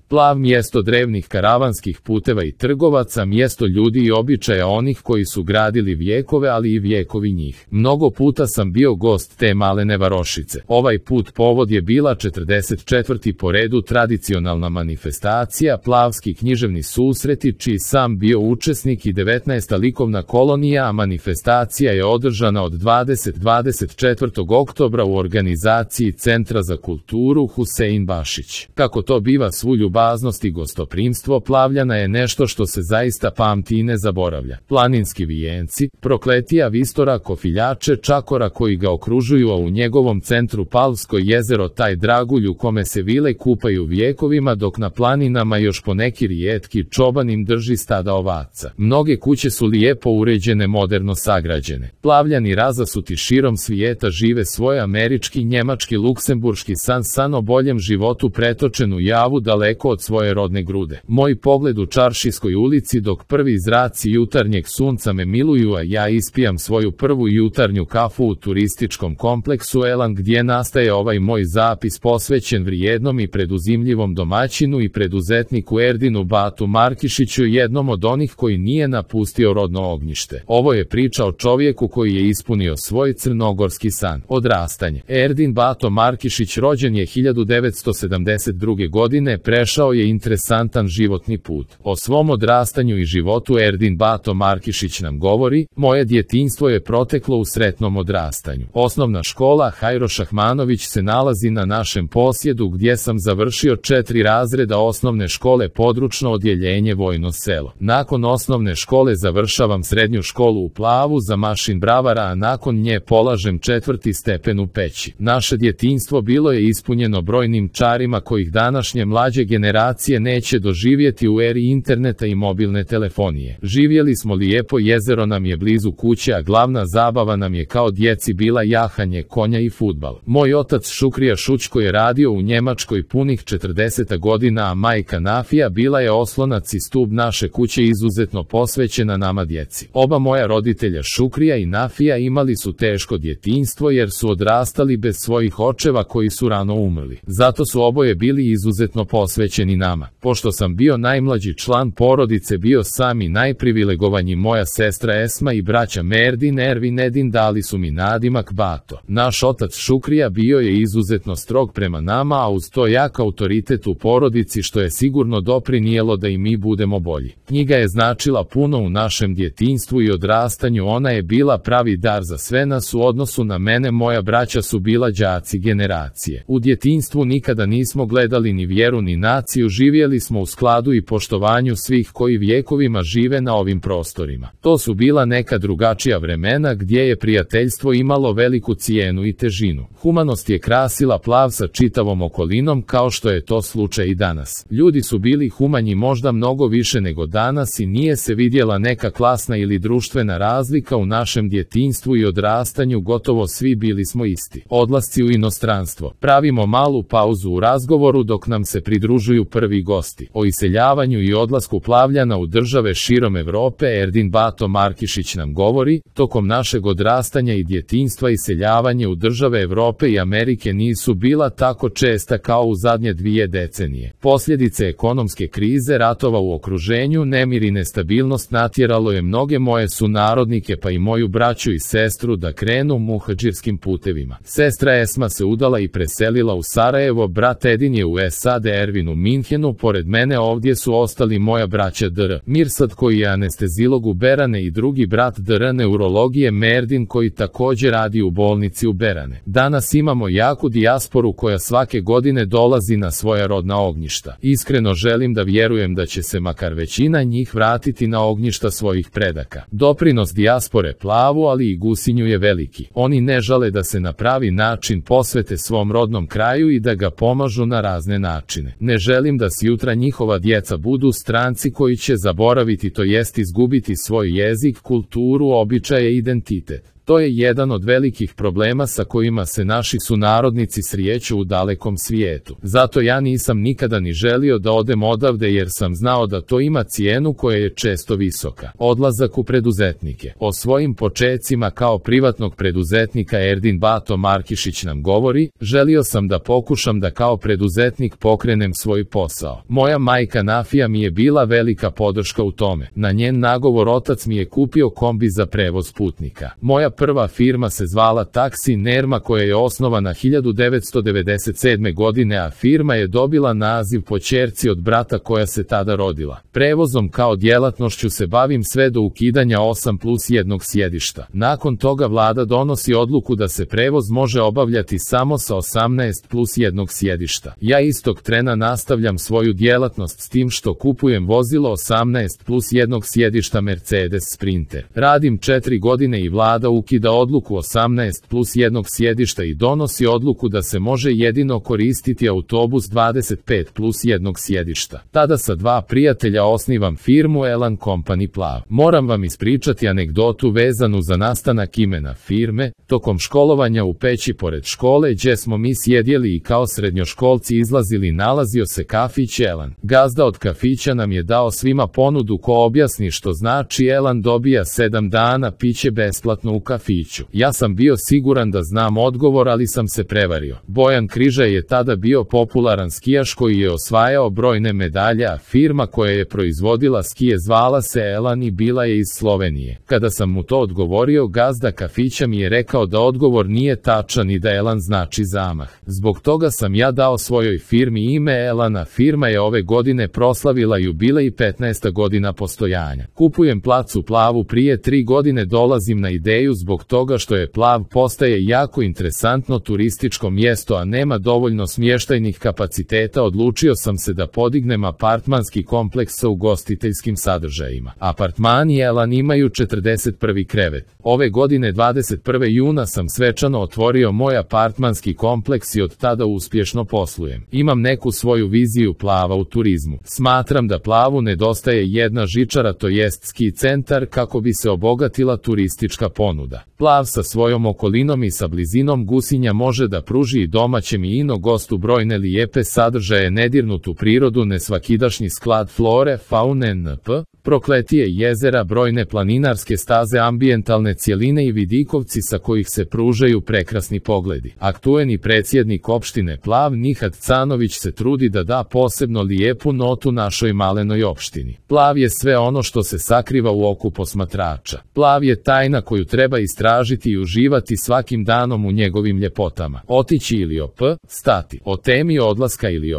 Plav mjesto drevnih karavanskih puteva i trgovaca, mjesto ljudi i običaja onih koji su gradili vijekove, ali i vijekovi njih. Mnogo puta sam bio gost te malene varošice. Ovaj put povod je bila 44. po redu tradicionalna manifestacija, plavski književni susreti, čiji sam bio učesnik, i 19. likovna kolonija, a manifestacija je održana od 24. oktobra u organizaciji Centra za kulturu Husein Bašić. Kako to biva, svu ljubaznost i gostoprimstvo Plavljana je nešto što se zaista pamti i ne zaboravlja. Planinski vijenci, prokletija Vistora, kofiljače, čakora koji ga okružuju, a u njegovom centru Plavsko jezero, taj dragulj u kome se vile kupaju vijekovima, dok na planinama još poneki rijetki čoban im drži stada ovaca. Mnoge kuće su lijepo uređene, moderno sagrađene. Plavljani razasuti širom svijeta žive svoj američki, njemački, luksemburški san o boljem životu pretočen u javu daleko od svoje rodne grude. Moj pogled u Čaršijskoj ulici, dok prvi zraci jutarnjeg sunca me miluju, a ja ispijam svoju prvu jutarnju kafu u turističkom kompleksu Elan, gdje nastaje ovaj moj zapis posvećen vrijednom i preduzimljivom domaćinu i preduzetniku Erdinu Batu Markišiću, jednom od onih koji nije napustio rodno ognjište. Ovo je priča o čovjeku koji je ispunio svoj crnogorski san. Odrastanje. Erdin Bato Markišić rođen je 1972. godine, prešao je interesantan životni put. O svom odrastanju i životu Erdin Bato Markišić nam govori: moje djetinjstvo je proteklo u sretnom odrastanju. Osnovna škola Hajro Šahmanović se nalazi na našem posjedu, gdje sam završio 4 razreda osnovne škole, područno odjeljenje Vojno selo. Nakon osnovne škole završavam srednju školu u Plavu za mašin bravara, a nakon nje polažem 4. stepen u Peći. Naše djetinjstvo bilo je ispunjeno brojnim čarima kojih današnje mlađe generacije neće doživjeti u eri interneta i mobilne telefonije. Živjeli smo lijepo, jezero nam je blizu kuće, a glavna zabava nam je kao djeci bila jahanje konja i fudbal. Moj otac Šukrija Šućko je radio u Njemačkoj punih 40 godina, a majka Nafija bila je oslonac i stub naše kuće, izuzetno posvećena nama djeci. Oba moja roditelja Šukrija i Nafija imali su teško djetinjstvo jer su odrastali bez svojih očeva koji su rano umrli. Zato su oboje bili izuzetno posvećeni nama. Pošto sam bio najmlađi član porodice, bio sam i najprivilegovanji, moja sestra Esma i braća Merdin, Ervin, Edin dali su mi nadimak Bato. Naš otac Šukrija bio je izuzetno strog prema nama, a uz to jak autoritet u porodici, što je sigurno doprinijelo da i mi budemo bolji. Knjiga je značila puno u našem djetinjstvu i odrastanju, ona je bila pravi dar za sve nas. U odnosu na mene, moja braća su bila đaci generacije. U djetinjstvu nikada nismo gledali ni vjeru ni naciju, živjeli smo u skladu i poštovanju svih koji vjekovima žive na ovim prostorima. To su bila neka drugačija vremena gdje je prijateljstvo imalo veliku cijenu i težinu. Humanost je krasila Plav sa čitavom okolinom, kao što je to slučaj i danas. Ljudi su bili humanji možda mnogo više nego danas i nije se vidjela neka klasna ili društvena razlika. U našem djetinjstvu i odrastanju gotovo svi bili smo isti. Odlasci u inostranstvo. Pravimo malu pauzu u razgovoru dok nam se pridružuju prvi gosti. O iseljavanju i odlasku Plavljana u države širom Europe Erdin Bato Markišić nam govori: tokom našeg odrastanja i djetinjstva iseljavanje u države Europe i Amerike nisu bila tako česta kao u zadnje 2 decenije. Posljedice ekonomske krize, ratova u okruženju, nemir i nestabilnost natjeralo je mnoge moje sunarodnike, pa i moju braću i sestru, da krenu muhadžirskim putevima. Sestra Esma se udala i preselila u Sarajevo, brat Edin je u SAD, Ervin u Minhenu, pored mene ovdje su ostali moja braća Dr. Mirsad koji je anestezilog u Berane i drugi brat Dr. neurologije Merdin koji također radi u bolnici u Berane. Danas imamo jaku dijasporu koja svake godine dolazi na svoja rodna ognjišta. Iskreno želim da vjerujem da će se makar većina njih vratiti na ognjišta svojih predaka. Doprinos dijaspore Plavu, ali i Gusinju je veliki. Oni ne žale da se na pravi način posvete svom rodnom kraju i da ga pomažu na razne načine. Ne želim da sutra njihova djeca budu stranci koji će zaboraviti, to jest izgubiti svoj jezik, kulturu, običaje i identitet. To je jedan od velikih problema sa kojima se naši sunarodnici srijeću u dalekom svijetu. Zato ja nisam nikada ni želio da odem odavde jer sam znao da to ima cijenu koja je često visoka. Odlazak u preduzetnike. O svojim počecima kao privatnog preduzetnika Erdin Bato Markišić nam govori: želio sam da pokušam da kao preduzetnik pokrenem svoj posao. Moja majka Nafija mi je bila velika podrška u tome. Na njen nagovor otac mi je kupio kombi za prevoz putnika. Moja prva firma se zvala Taksi Nerma koja je osnovana 1997. godine, a firma je dobila naziv po ćerci od brata koja se tada rodila. Prevozom kao djelatnošću se bavim sve do ukidanja 8+1 sjedišta. Nakon toga vlada donosi odluku da se prevoz može obavljati samo sa 18+1 sjedišta. Ja istog trena nastavljam svoju djelatnost s tim što kupujem vozilo 18+1 sjedišta Mercedes Sprinter. Radim 4 godine i vlada ukida odluku 18+1 sjedišta i donosi odluku da se može jedino koristiti autobus 25+1 sjedišta. Tada sa 2 prijatelja osnivam firmu Elan Company Plav. Moram vam ispričati anegdotu vezanu za nastanak imena firme. Tokom školovanja u Peći pored škole gdje smo mi sjedjeli i kao srednjoškolci izlazili nalazio se kafić Elan. Gazda od kafića nam je dao svima ponudu ko objasni što znači Elan dobija 7 dana piće besplatno u kafiću. Ja sam bio siguran da znam odgovor, ali sam se prevario. Bojan Križaj je tada bio popularan skijaš koji je osvajao brojne medalje, a firma koja je proizvodila skije zvala se Elan i bila je iz Slovenije. Kada sam mu to odgovorio, gazda kafića mi je rekao da odgovor nije tačan i da Elan znači zamah. Zbog toga sam ja dao svojoj firmi ime Elana. Firma je ove godine proslavila jubilej 15. godina postojanja. Kupujem plac u Plavu prije 3 godine, dolazim na ideju zbog toga što je Plav postaje jako interesantno turističko mjesto, a nema dovoljno smještajnih kapaciteta. Odlučio sam se da podignem apartmanski kompleks sa ugostiteljskim sadržajima. Apartmani Elan imaju 41. krevet. Ove godine 21. juna sam svečano otvorio moj apartmanski kompleks i od tada uspješno poslujem. Imam neku svoju viziju Plava u turizmu. Smatram da Plavu nedostaje jedna žičara, to jest ski centar, kako bi se obogatila turistička ponuda. Plav sa svojom okolinom i sa blizinom Gusinja može da pruži i domaćem i ino gostu brojne lijepe sadržaje, nedirnutu prirodu, nesvakidašnji sklad flore, faune NP, prokletije jezera, brojne planinarske staze, ambijentalne cjeline i vidikovci sa kojih se pružaju prekrasni pogledi. Aktuelni predsjednik opštine Plav Nihat Canović se trudi da da posebno lijepu notu našoj malenoj opštini. Plav je sve ono što se sakriva u oku posmatrača. Plav je tajna koju treba istražiti i uživati svakim danom u njegovim ljepotama. Otići ili stati. O temi odlaska ili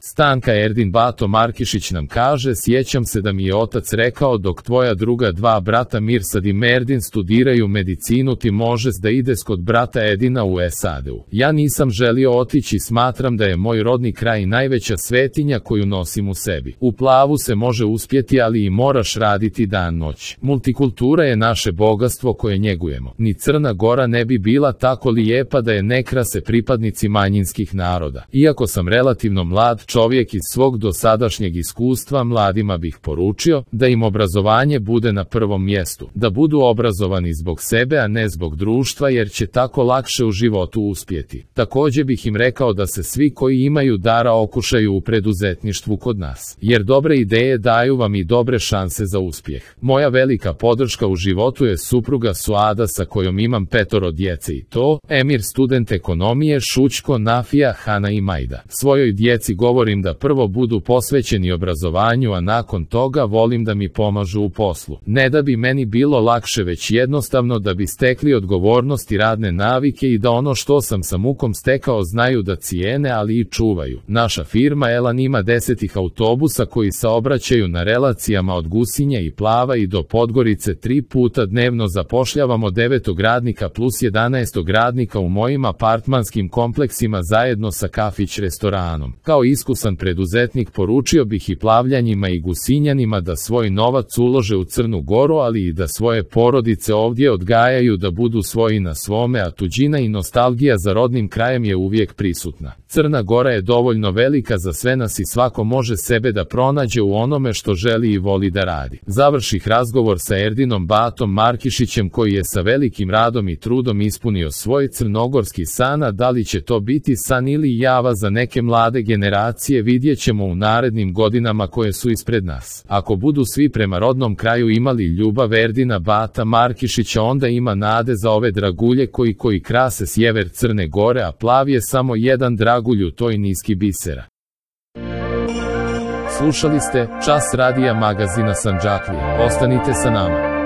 stanka Erdin Bato Markišić nam kaže: sjećam se da mi je otac rekao dok tvoja druga 2 brata Mirsad i Merdin studiraju medicinu ti možeš da ideš kod brata Edina u SAD-u. Ja nisam želio otići, smatram da je moj rodni kraj najveća svetinja koju nosim u sebi. U Plavu se može uspjeti, ali i moraš raditi dan noć. Multikultura je naše bogatstvo koje njegujemo. Ni Crna Gora ne bi bila tako lijepa da je ne krase pripadnici manjinskih naroda. Iako sam relativno mlad čovjek, iz svog dosadašnjeg iskustva mladima bih poručio da im obrazovanje bude na prvom mjestu, da budu obrazovani zbog sebe, a ne zbog društva, jer će tako lakše u životu uspjeti. Također bih im rekao da se svi koji imaju dara okušaju u preduzetništvu kod nas, jer dobre ideje daju vam i dobre šanse za uspjeh. Moja velika podrška u životu je supruga Suada sa kojom imam 5 djece i to: Emir student ekonomije, Šućko, Nafija, Hana i Majda. Svojoj djeci govorim da prvo budu posvećeni obrazovanju, a nakon toga volim da mi pomažu u poslu. Ne da bi meni bilo lakše, već jednostavno da bi stekli odgovornost i radne navike i da ono što sam sa mukom stekao znaju da cijene, ali i čuvaju. Naša firma Elan ima 10 autobusa koji saobraćaju na relacijama od Gusinja i Plava i do Podgorice 3 puta dnevno. Zapošljavamo 9 radnika plus 11 radnika u mojim apartmanskim kompleksima zajedno sa kafić restoranom. Kao iskusan preduzetnik poručio bih i Plavljanjima i Gusinjanima da svoj svoj novac ulože u Crnu Goru, ali i da svoje porodice ovdje odgajaju da budu svoji na svome, a tuđina i nostalgija za rodnim krajem je uvijek prisutna. Crna Gora je dovoljno velika za sve nas i svako može sebe da pronađe u onome što želi i voli da radi. Završih razgovor sa Erdinom Batom Markišićem, koji je sa velikim radom i trudom ispunio svoj crnogorski san, a da li će to biti san ili java za neke mlade generacije, vidjet ćemo u narednim godinama koje su ispred nas. Ako budu svi prema rodnom kraju imali ljubav Erdina Bata Markišića, onda ima nade za ove dragulje koji krase sjever Crne Gore, a plav je samo jedan dragulj u toj niski bisera. Slušali ste Čas radija magazina Sandžaklija. Ostanite sa nama.